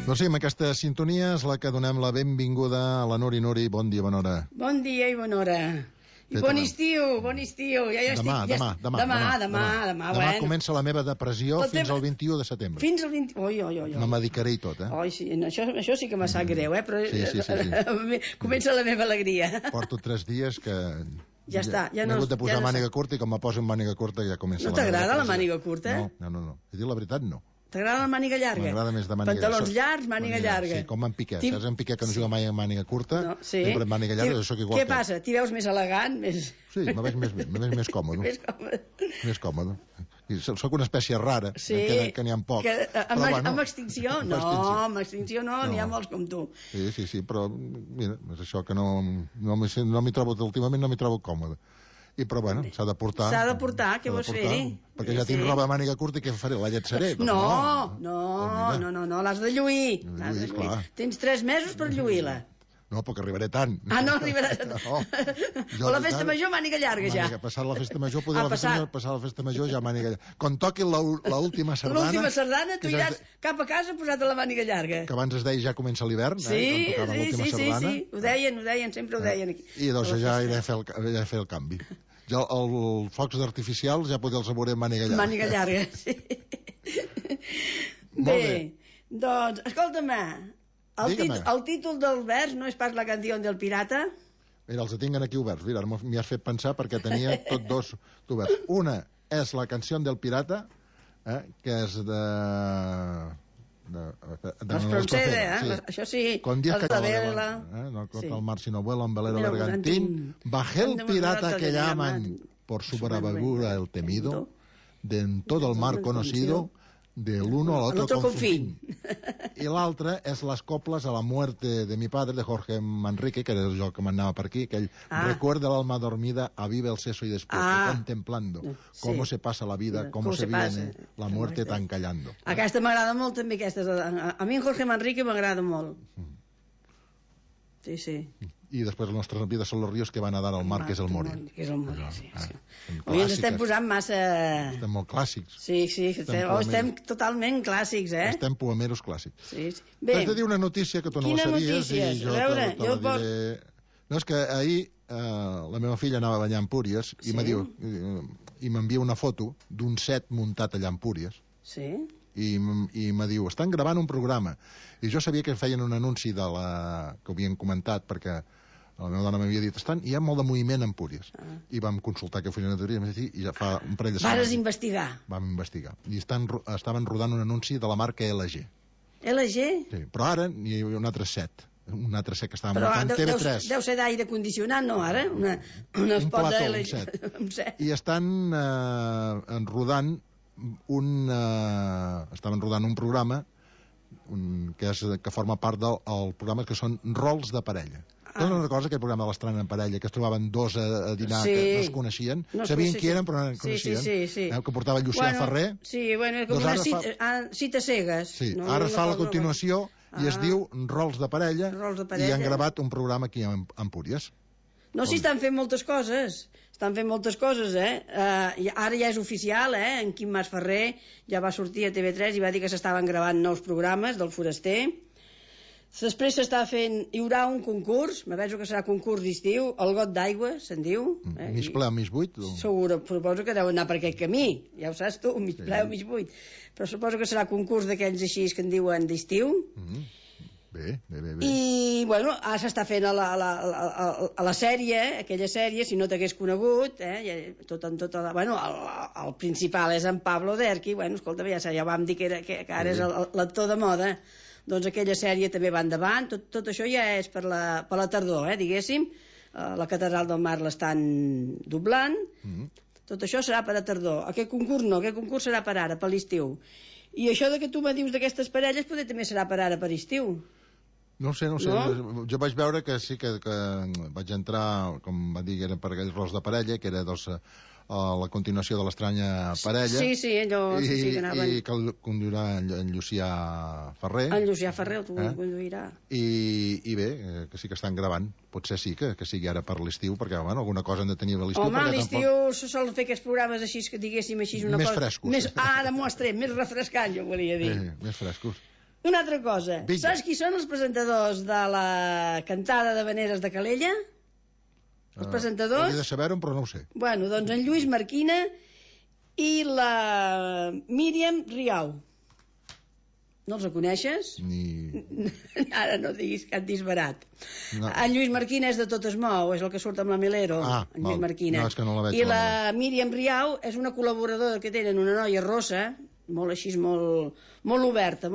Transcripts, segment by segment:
Doncs sí, amb aquesta sintonia és la que donem la benvinguda a la Nuri. Nuri, bon dia, bona hora. Bon dia i bona hora. I bon estiu, bon estiu. Demà, bueno. Comença la meva depressió fins al 21 de setembre. Fins al 20... Oi. Me medicaré i tot, Oi, sí, això sí que me sap greu, però sí. Comença la meva alegria. Porto 3 dies que... Ja està, ja no... M'he hagut de posar màniga curta i com me poso en màniga curta ja comença la meva depressió. No t'agrada la màniga curta? No. He dit la veritat, no. T'agrada la màniga llarga? M'agrada més de màniga llarga. Pantalons llargs, màniga llarga. Sí, com en Piqué. Saps en Piqué que no juga mai amb màniga curta? Sempre amb màniga llarga, jo sóc igual. Què passa? T'hi veus més elegant? Sí, me veig més còmode. Més còmode. Soc una espècie rara, que n'hi ha poc. Amb extinció? No, amb extinció no, n'hi ha molts com tu. Sí, però mira, és això que no m'hi trobo, últimament no m'hi trobo còmode. Però bueno, s'ha de portar. S'ha de portar, què vols fer-hi? Perquè ja tinc roba de màniga curta i què faré? La lletjaré? No, l'has de lluir. Tens 3 mesos per lluir-la. No, perquè arribaré tant. No arribaràs. O la festa major, màniga llarga ja. Passar la festa major, passar la festa major ja màniga llarga. Quan toqui l'última sardana... L'última sardana, tu iràs cap a casa posat a la màniga llarga. Que abans es deia ja comença l'hivern, sí, ho deien, sempre ho deien aquí. I doncs ja iré a fer el canvi. Ja els focs artificials ja potser els veuré amb màniga llarga. Màniga llarga, sí. Bé, doncs, escolta'm, el títol del vers no és pas la canció del pirata? Mira, els tinc aquí oberts. Mira, m'hi has fet pensar perquè tenia tots dos oberts. Una és la canció del pirata, que és de... Això sí. Con 10 que no corta el mar sino vuela un velero bergantín, bajé el pirata que llaman por su bravura el temido, de en todo el mar conocido, del uno al otro con fin. I l'altre és les coples a la muerte de mi padre, de Jorge Manrique, que era el joc que m'anava per aquí, aquell recuerda l'alma dormida, aviva el seso y despierta, contemplando cómo se pasa la vida, cómo se viene la muerte tan callando. Aquesta m'agrada molt també, a mi en Jorge Manrique m'agrada molt. Sí. I després les nostres vides són los ríos que van a dar al mar, que és el morir. Avui ens estem posant massa... Estem molt clàssics. Sí, estem totalment clàssics, Estem poemeros clàssics. T'has de dir una notícia que tu no la sabies i jo te la diré. No, és que ahir la meva filla anava a ballar a Empúries i m'envia una foto d'un set muntat allà a Empúries. Sí? I me diu, estan gravant un programa, i jo sabia que feien un anunci que ho havien comentat perquè la meva dona m'havia dit, hi ha molt de moviment en Empúries, i vam consultar que feien una teoria i ja fa un parell de setmanes vas investigar. Vam investigar i estaven rodant un anunci de la marca LG. LG? Sí, però ara n'hi ha un altre set que estava muntant TV3. Deu ser d'aire condicionat, no, ara? Un plató, un set. I estan rodant estaven rodant un programa que forma part del programa, que són rols de parella. Tu no recordes aquell programa de l'estrena en parella, que es trobaven dos a dinar que no es coneixien, sabien qui eren però no es coneixien, que portava Llucià Ferrer. Sí, bueno, com una cita cegues. Sí, ara fa la continuació i es diu Rols de parella i han gravat un programa aquí a Empúries. No, sí, estan fent moltes coses. Ara ja és oficial, en Quim Mas Ferrer ja va sortir a TV3 i va dir que s'estaven gravant nous programes del Foraster. Després s'està fent, hi haurà un concurs, me penso que serà concurs d'estiu, el got d'aigua, se'n diu. Mig ple o mig buit? Segur, suposo que deu anar per aquest camí, ja ho saps tu, mig ple o mig buit. Però suposo que serà concurs d'aquells així que en diuen d'estiu. Bé. I, bueno, ara s'està fent a la sèrie, aquella sèrie, si no t'hagués conegut, bueno, el principal és en Pablo Derqui, bueno, escolta, ja vam dir que ara és l'actor de moda, doncs aquella sèrie també va endavant, tot això ja és per la tardor, diguéssim, la Catedral del Mar l'estan doblant, tot això serà per a tardor. Aquest concurs no, aquest concurs serà per ara, per l'estiu. I això que tu me dius d'aquestes parelles potser també serà per ara, per estiu. No sé, jo vaig veure que sí que vaig entrar, com va dir, era per aquells rols de parella, que era la continuació de l'Estranya parella. Sí, allò sí que anaven. I que el conduirà en Llucià Ferrer. En Llucià Ferrer el conduirà. I bé, que sí que estan gravant. Potser sí que sigui ara per l'estiu, perquè alguna cosa han de tenir a l'estiu. Home, a l'estiu se solen fer aquests programes així, que diguéssim així una cosa... Més frescos. Ara m'ho has tret, més refrescant, jo volia dir. Més frescos. Una altra cosa. Saps qui són els presentadors de la cantada d'havaneres de Calella? Els presentadors? Hauria de saber-ho, però no ho sé. Bueno, doncs en Lluís Marquina i la Míriam Riau. No els coneixes? Ara no diguis cap disbarat. No. En Lluís Marquina és de Tot es mou, és el que surt amb la Melero. En Lluís Marquina. No, és que no la veig. I la Míriam Riau és una col·laboradora que tenen, una noia rossa, molt així, molt oberta,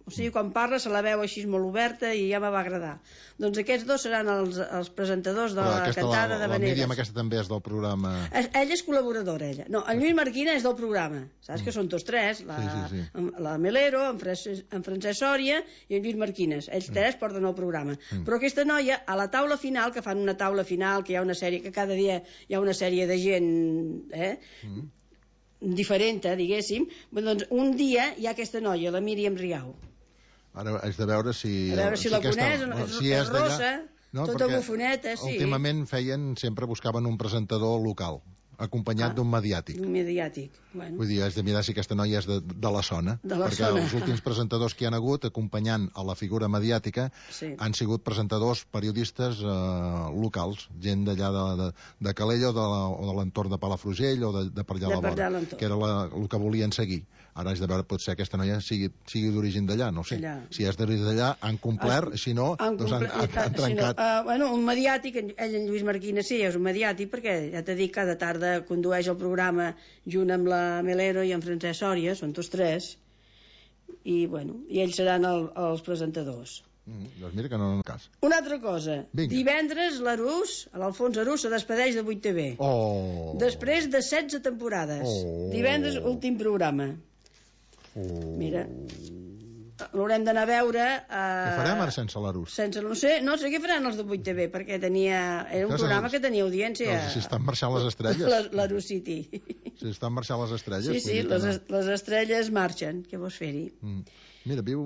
o sigui, quan parla se la veu així molt oberta i ja me va agradar. Doncs aquests dos seran els presentadors de la cantada d'havaneres. La Míriam aquesta també és del programa... Ella és col·laboradora, ella. No, en Lluís Marquina és del programa. Saps que són tots tres? La Melero, en Francesc Sòria i en Lluís Marquines. Ells tres porten el programa. Però aquesta noia, a la taula final, que fan una taula final, que hi ha una sèrie, que cada dia hi ha una sèrie de gent... diferent, diguéssim, doncs un dia hi ha aquesta noia, la Míriam Riau. Ara és de veure si... A veure si la coneix, és rossa, tota bufoneta, sí. Últimament sempre buscaven un presentador local, acompanyat d'un mediàtic. Un mediàtic, bueno. Vull dir, has de mirar si aquesta noia és de la zona, perquè els últims presentadors que hi han hagut, acompanyant a la figura mediàtica, han sigut presentadors, periodistes locals, gent d'allà de Calella o de l'entorn de Palafrugell o de per allà a la vora, que era el que volien seguir. Ara és de veure, potser aquesta noia sigui d'origen d'allà, no sé. Si és d'origen d'allà, han complert, si no, doncs han trencat. Bueno, un mediàtic, ell en Lluís Marquina sí, és un mediàtic, perquè ja t'he dit, cada tarda condueix el programa junt amb la Melero i en Francesc Sòria, són tots tres, i bueno, i ells seran els presentadors. Doncs mira que no en el cas. Una altra cosa, divendres l'Alfons Arús se despedeix de 8TV. Després de 16 temporades. Divendres, últim programa. Mira, l'haurem d'anar a veure... Què farem ara sense l'Arús? No sé què faran els de 8TV, perquè era un programa que tenia audiència. Si estan marxant les estrelles. L'Arús City. Si estan marxant les estrelles. Sí, les estrelles marxen. Què vols fer-hi? Mira, viu...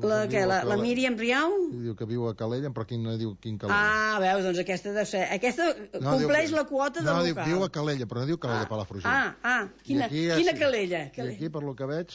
La Míriam Riau? Diu que viu a Calella, però no diu quin Calella. Veus, doncs aquesta deu ser... Aquesta compleix la quota de local. No, viu a Calella, però no diu Calella Palafrugell. Quina Calella? I aquí, per lo que veig...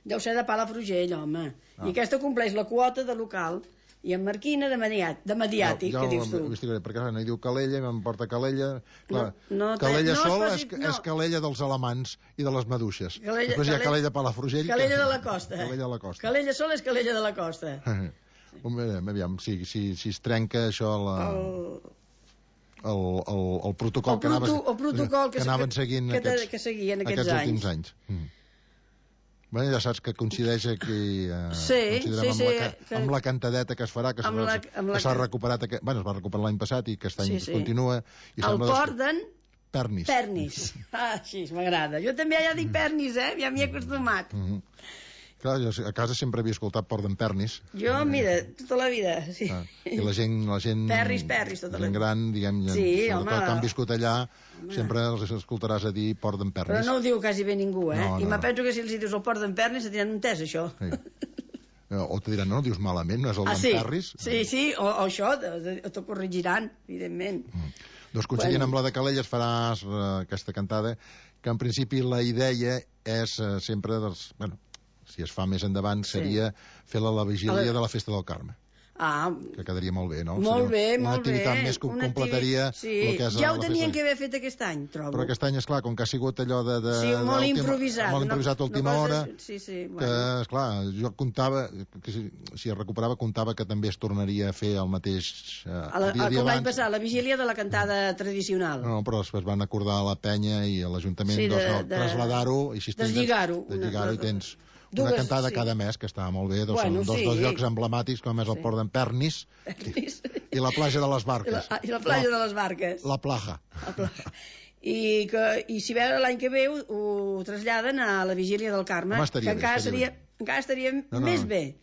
Deu ser de Palafrugell, home. I aquesta compleix la quota de local. I en Marquina de mediàtic, que dius tu. Perquè no hi diu Calella, em porta Calella... Calella sol és Calella dels alamans i de les maduixes. Després hi ha Calella Palafrugell... Calella de la Costa. Calella sol és Calella de la Costa. Aviam, si es trenca això el protocol que anaven seguint aquests últims anys. Bueno, ja saps que coincideix aquí amb la cantadeta que es farà, que s'ha recuperat, es va recuperar l'any passat i que aquest any continua. El porten Pernis. Així m'agrada. Jo també ja dic Pernis, ja m'hi he acostumat. Clar, jo a casa sempre havia escoltat Port d'en Pernis. Jo, mira, tota la vida, sí. I la gent... Perris, tota la vida. Gent gran, diguem, sobretot que han viscut allà, sempre els escoltaràs a dir Port d'en Pernis. Però no ho diu quasi bé ningú, I me penso que si els dius el Port d'en Pernis se tenen un test, això. O te diran, no, dius malament, no és el d'en Perris? Sí, o això, t'ho corregiran, evidentment. Doncs coincidint amb la de Calella es farà aquesta cantada, que en principi la idea és sempre si es fa més endavant, seria fer-la a la vigília de la Festa del Carme. Que quedaria molt bé, no? Molt bé. Una activitat més que completaria el que és ja ho tenien que haver fet aquest any, trobo. Però aquest any, esclar, com que ha sigut allò de... Sí, molt improvisat. Molt improvisat a última hora. Sí, que, esclar, jo comptava, que si es recuperava, comptava que també es tornaria a fer el mateix com l'any passat, la vigília de la cantada tradicional. No, però es van acordar a la penya i a l'Ajuntament traslladar-ho i deslligar-ho i tens una cantada cada mes, que està molt bé, són dos llocs emblemàtics, com és el Port d'en Pernis i la platja de les Barques. I la platja de les Barques. La Plaja. I si veure l'any que ve ho traslladen a la vigília del Carme, que encara estaria més bé.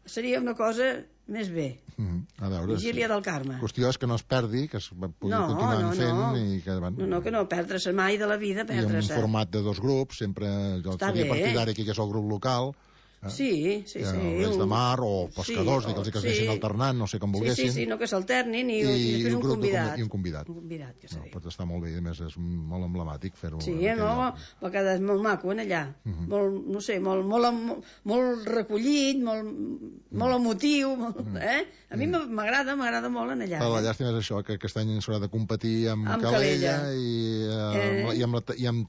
Seria una cosa més bé. A veure, vigília del Carme. La qüestió és que no es perdi, que es pugui continuar fent i que no perdre-se mai de la vida, i en un format de dos grups, sempre jo seria partidari que és el grup local, Sí. Els de mar o pescadors, que es deixin alternant, no sé com volguessin. Sí, no que s'alternin i després un convidat. I un convidat. Que seria. Pot estar molt bé, a més és molt emblemàtic fer-ho. Sí, va quedar molt maco, allà. Molt, no sé, molt recollit, molt emotiu, A mi m'agrada molt allà. La llàstima és això, que aquest any s'haurà de competir amb Calella i en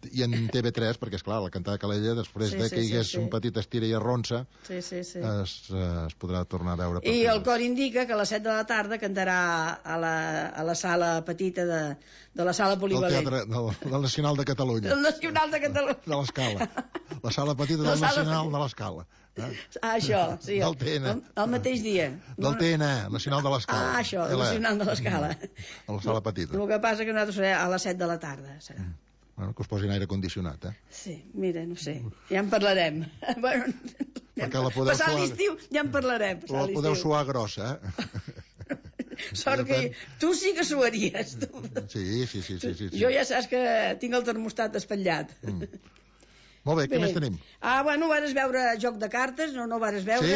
TV3, perquè, esclar, la cantada de Calella, després que hi hagués un petit estira i arronsa, es podrà tornar a veure. I el cor indica que a les 7 de la tarda cantarà a la sala petita de la sala polivalent. Del Teatre del Nacional de Catalunya. Del Nacional de Catalunya. De l'Escala. La sala petita del Nacional de l'Escala. Això, sí. Del TN. El mateix dia. Del TN, Nacional de l'Escala. Això, el Nacional de l'Escala. A la sala petita. El que passa que nosaltres serà a les 7 de la tarda, serà. Bueno, que us posin aire condicionat, Sí, mira, no sé, ja en parlarem. Bueno, passar l'estiu ja en parlarem. La podeu suar grossa, Sort que tu sí que suaries, tu. Sí. Jo ja saps que tinc el termostat espatllat. Molt bé, què més tenim? Bueno, vares veure Joc de Cartes, no vares veure?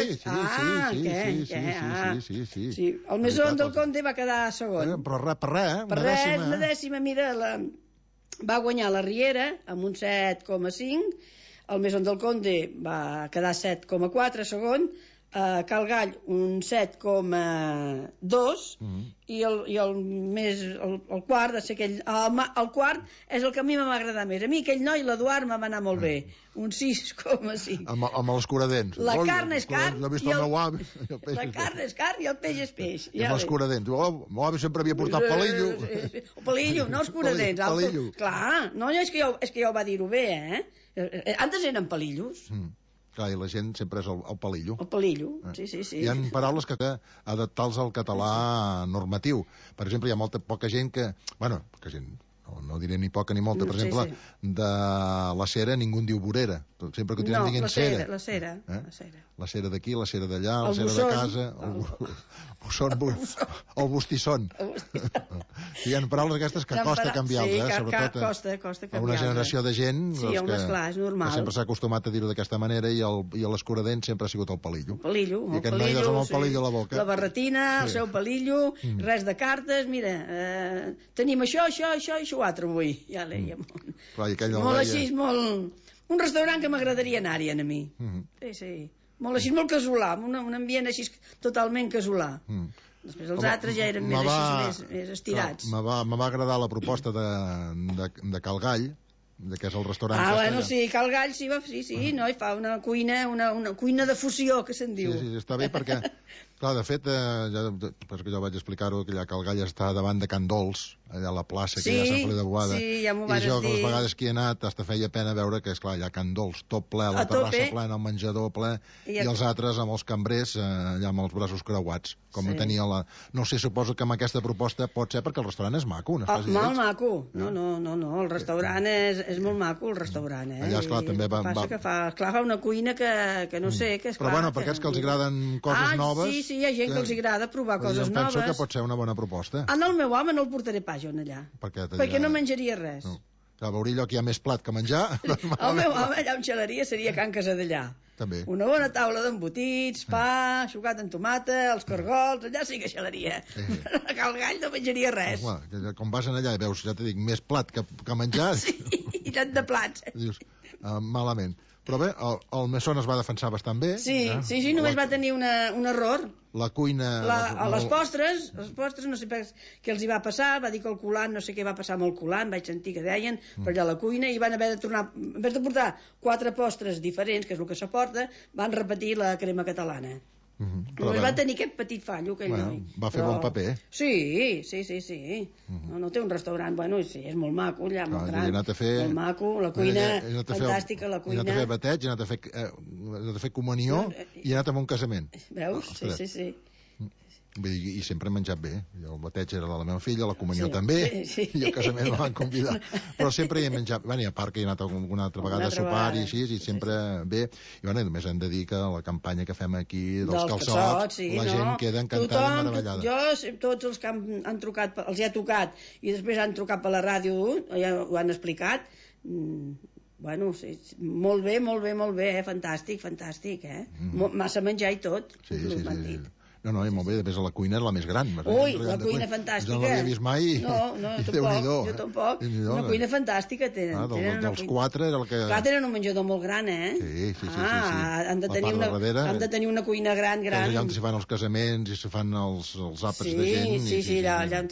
Sí. El Mesón del Conde va quedar segon. Però per res, una dècima, mira, va guanyar la Riera amb un 7,5, el Mesón del Conde va quedar 7,4 segon, Cal Gall un 7,2 i el quart de ser aquell, el quart és el que a mi m'ha agradat més. A mi aquell noi, l'Eduard, m'ha anat molt bé, un 6,5. Amb els curadents. La carn és carn i el peix és peix. Amb els curadents. Meu avi sempre havia portat palillo. Palillo, no els curadents. Clar, no, és que ja ho va dir-ho bé, Antes eren palillos. Clar, i la gent sempre és el palillo. El palillo, sí. Hi ha paraules que adaptar-los al català normatiu. Per exemple, hi ha poca gent que... Bueno, poca gent, no diré ni poca ni molta. Per exemple, de la cera ningú en diu vorera. Sempre continuem dient cera. La cera. La cera d'aquí, la cera d'allà, la cera de casa, el bustisson. Hi ha paraules aquestes que costa canviar-les, sobretot a una generació de gent que sempre s'ha acostumat a dir-ho d'aquesta manera i l'escuradent sempre ha sigut el palillo. I aquest noi és amb el palillo a la boca. La barretina, el seu palillo, res de cartes, mira, tenim això i això altre avui. Ja l'èiem. Molt així, molt... Un restaurant que m'agradaria anar-hi a mi. Sí. Molt així, molt casolà, un ambient així totalment casolà. Després els altres ja eren més estirats. Me va agradar la proposta de Cal Gall, que és el restaurant. Bueno, sí, Cal Gall, sí, no, i fa una cuina de fusió, que se'n diu. Sí, està bé perquè, clar, de fet, perquè jo vaig explicar-ho, que allà Cal Gall està davant de Can Dols, allà a la plaça, que hi ha Sant Feliu de Boada. Sí, ja m'ho vas dir. I jo, que les vegades que hi he anat, hasta feia pena veure que, esclar, hi ha Can Dols, tot ple, la terrassa plena, el menjador ple, i els altres amb els cambrers allà amb els braços creuats, com tenia la... No sé, suposo que amb aquesta proposta pot ser perquè el restaurant és maco, no estàs molt maco. No, el restaurant és molt maco, el restaurant, Allà, esclar, també va... Passa que fa una cuina que no sé, que és clar... Però bueno, per aquests que els agraden coses noves... Sí, hi ha gent que els agrada provar coses noves. Jo penso que pot ser una bona proposta. El meu home no el portaré pas jo allà, perquè no menjaria res. Clar, veuria allò que hi ha més plat que menjar. El meu home allà on xalaria seria Can Casadellà. També. Una bona taula d'embotits, pa, sucat amb tomata, els cargols, allà sí que xalaria. A Cal Gall no menjaria res. Com vas allà i veus, ja t'he dit, més plat que menjar... Sí, i tant de plats. Dius, malament. Però bé, el Mesón es va defensar bastant bé. Sí, només va tenir un error. La cuina... A les postres, no sé què els hi va passar, va dir que el culant, no sé què va passar amb el culant, vaig sentir que deien, per allà a la cuina, i van haver de tornar, en vez de portar 4 postres diferents, que és el que s'aporta, van repetir la crema catalana. Però va tenir aquest petit fallo, aquell noi. Va fer bon paper. Sí. No té un restaurant, sí, és molt maco, allà, molt gran, molt maco, la cuina, fantàstica, la cuina. He anat a fer bateig, he anat a fer comunió i he anat a un casament. Veus? Sí. I sempre he menjat bé. El bateig era de la meva filla, la comunió també, i el casament me van convidar. Però sempre hi he menjat... I a part que hi he anat alguna altra vegada a sopar i així, i sempre bé. I només hem de dir que la campanya que fem aquí dels calçots, la gent queda encantada i meravellada. Jo, tots els que han trucat, els hi ha tocat, i després han trucat per la ràdio, ja ho han explicat, Bueno, sí, molt bé, fantàstic, massa menjar i tot, m'han dit. No, i molt bé, després a la cuina és la més gran. Ui, la cuina fantàstica. No l'havia vist mai. No, jo tampoc. Una cuina fantàstica tenen. Dels 4 era el que... Clar, tenen un menjador molt gran, Sí. Han de tenir una cuina gran. Allà on s'hi fan els casaments i s'hi fan els àpats de gent. Sí, allà on...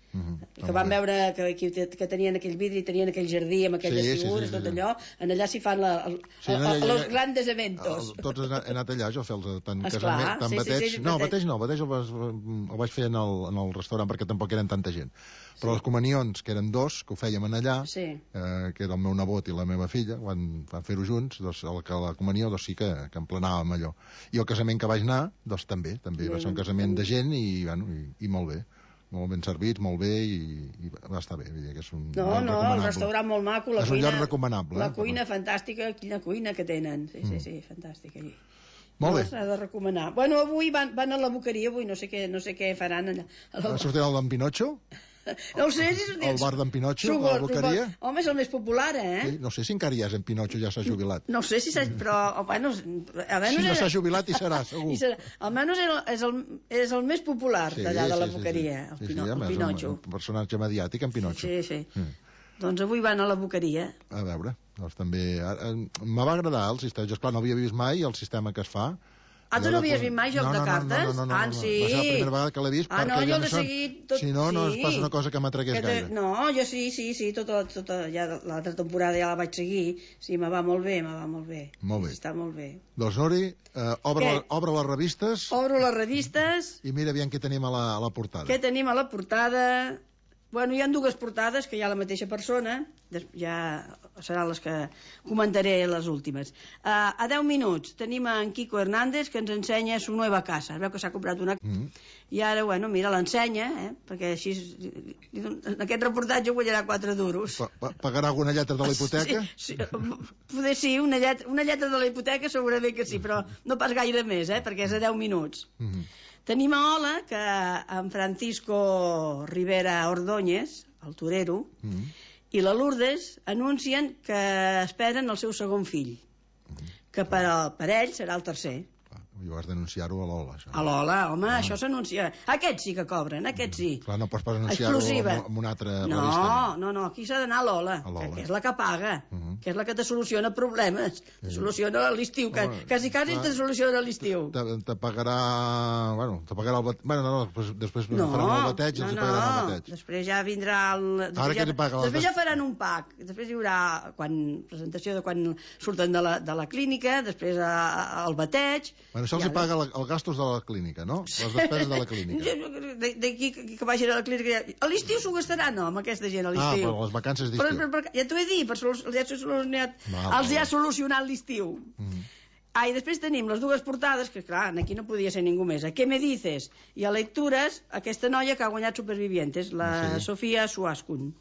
que van veure que tenien aquell vidre i tenien aquell jardí amb aquelles figures, tot allò, en allà s'hi fan els grandes eventos. Tots he anat allà, jo a fer tant casament, tant bateig. No, bateig el vaig fer en el restaurant perquè tampoc eren tanta gent. Però les comunions, que eren 2, que ho fèiem en allà, que era el meu nebot i la meva filla, van fer-ho junts, la comunió sí que emplenàvem allò. I el casament que vaig anar, també va ser un casament de gent i molt bé. Molt ben servits, molt bé, i va estar bé. Que és un el restaurant molt maco. És un lloc recomanable. La cuina fantàstica, quina cuina que tenen. Sí, fantàstica. Molt bé. S'ha de recomanar. Bueno, avui van a la Boqueria, avui no sé què faran allà. Sortirà el d'en Pinocho? No ho sé si... El bar d'en Pinocho, a la Boqueria? Home, és el més popular, Sí, no sé si encara hi és en Pinocho, ja s'ha jubilat. No sé si s'ha... Però, bueno... Si no s'ha jubilat, hi serà, segur. Almenys és el més popular d'allà de la Boqueria, el Pinocho. Un personatge mediàtic, en Pinocho. Sí. Doncs avui van a la Boqueria. A veure, doncs també... Me va agradar el sistema. Jo, esclar, no havia vist mai el sistema que es fa. Tu no havies vist mai joc de cartes? No. Sí. Va ser la primera vegada que l'he vist. Jo l'he seguit tot... Si no, no es passa una cosa que m'atragués gaire. No, jo sí, tota ja l'altra temporada ja la vaig seguir. Sí, me va molt bé. Molt bé. Està molt bé. Doncs, Nori, obre les revistes. Obro les revistes. I mira aviam què tenim a la portada. Què tenim a la portada? Bueno, hi ha 2 portades, que hi ha la mateixa persona, ja seran les que comentaré les últimes. A 10 minuts tenim en Kiko Hernández, que ens ensenya su nueva casa. Es veu que s'ha comprat una... I ara, bueno, mira, l'ensenya, perquè així... En aquest reportatge guanyarà 4 duros. Pagarà alguna lletra de la hipoteca? Sí, poder sí, una lletra de la hipoteca segurament que sí, però no pas gaire més, perquè és a 10 minuts. Tenim a Ola, que en Francisco Rivera Ordóñez, el torero, i la Lourdes anuncien que esperen el seu segon fill, que per ell serà el tercer. I has d'anunciar-ho a l'Ola, això. A l'Ola, home, això s'anuncia. Aquests sí que cobren, aquests sí. Clar, no pots pas anunciar-ho en una altra revista. No, aquí s'ha d'anar a l'Ola, que és la que paga, que és la que te soluciona problemes, te soluciona l'estiu, quasi te soluciona l'estiu. Te pagarà, el bateig, després faran el bateig i els pagaran el bateig. Després ja vindrà Ara què li paga? Després ja faran un pack, després hi haurà presentació de quan surten de la clínica, després el bateig... Això els paga els gastos de la clínica, no? Les despeses de la clínica. D'aquí que vagin a la clínica... A l'estiu s'ho gastaran, no, amb aquesta gent, a l'estiu. Però les vacances d'estiu. Ja t'ho he dit, els ha solucionat l'estiu. I després tenim les 2 portades, que clar, aquí no podia ser ningú més. A Què me dices? I a Lectures, aquesta noia que ha guanyat Supervivientes, la Sofía Suascun.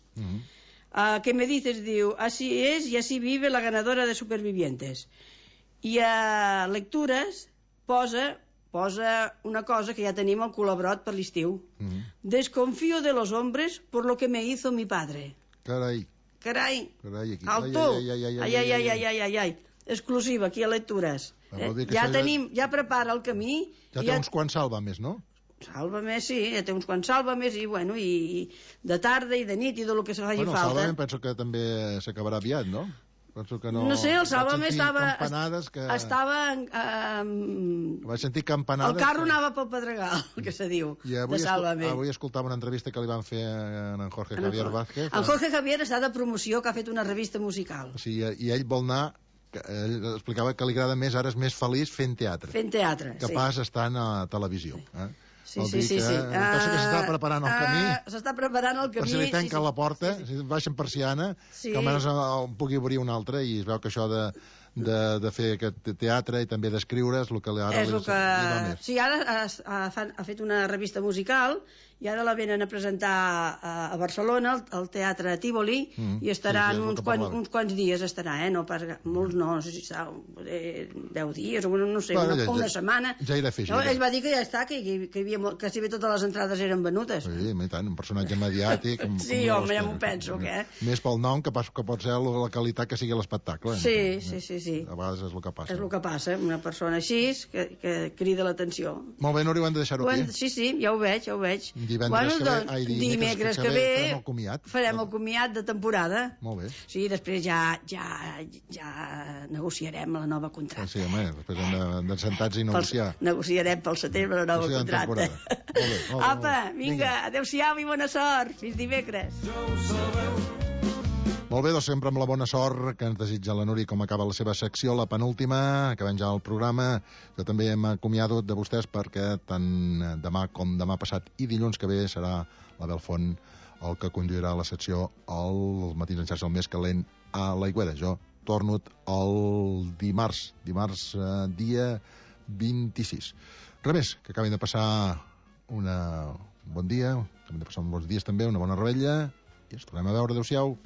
A Què me dices diu, así es y así vive la ganadora de Supervivientes. I a Lectures posa una cosa que ja tenim al col·labrot per l'estiu. Desconfío de los hombres por lo que me hizo mi padre. Carai. Alto. Ai. Exclusiva, aquí a Lectures. Ja prepara el camí. Ja té uns quants sàlvames, no? Sàlvames, sí, ja té uns quants sàlvames i de tarda i de nit i del que se faci falta. El sàlvame penso que també s'acabarà aviat, no? No sé, el Sàlvame estava... Vaig sentir campanades... El carro anava pel Pedregal, que se diu, de Sàlvame. Avui escoltava una entrevista que li van fer a en Jorge Javier Vázquez. En Jorge Javier està de promoció, que ha fet una revista musical. Sí, i ell vol anar... Ell explicava que li agrada més, ara és més feliç fent teatre. Fent teatre, sí. Que pas estant a televisió. Sí. Pensa que s'està preparant el camí. S'està preparant el camí. Per si li tanquen la porta, si baixen persiana, que almenys pugui obrir una altra, i es veu que això de fer aquest teatre i també d'escriure, és el que ara li va més. Sí, ara ha fet una revista musical i ara la venen a presentar a Barcelona, al Teatre Tívoli, i estaran uns quants dies, no pas molts, no sé si està 10 dies o no sé, una setmana. Ja irà a fer gira. Ell va dir que ja està, que si bé totes les entrades eren venudes. Sí, i tant, un personatge mediàtic. Sí, home, ja m'ho penso, què? Més pel nom que pot ser la qualitat que sigui l'espectacle. Sí. A vegades és el que passa. És el que passa, una persona així que crida l'atenció. Molt bé, Núria, ho hem de deixar-ho aquí. Sí, ja ho veig. Dimecres que ve farem el comiat de temporada. Molt bé. Sí, després ja negociarem la nova contracta. Sí, home, després hem de sentar-nos i negociar. Negociarem pel setembre la nova contracta. Molt bé. Apa, vinga, adeu-siau i bona sort. Fins dimecres. Molt bé, doncs sempre amb la bona sort que ens desitja la Núria com acaba la seva secció, la penúltima, acabem ja el programa. Jo també m'acomiado de vostès perquè tant demà com demà passat i dilluns que ve serà l'Abel Font el que conduirà la secció al Matins en Xarxa, el més calent a l'Aigüera. Jo torno el dimarts dia 26. Res més, que acabin de passar un bon dia, acabin de passar uns bons dies també, una bona rebella, i ens tornem a veure. Adéu-siau.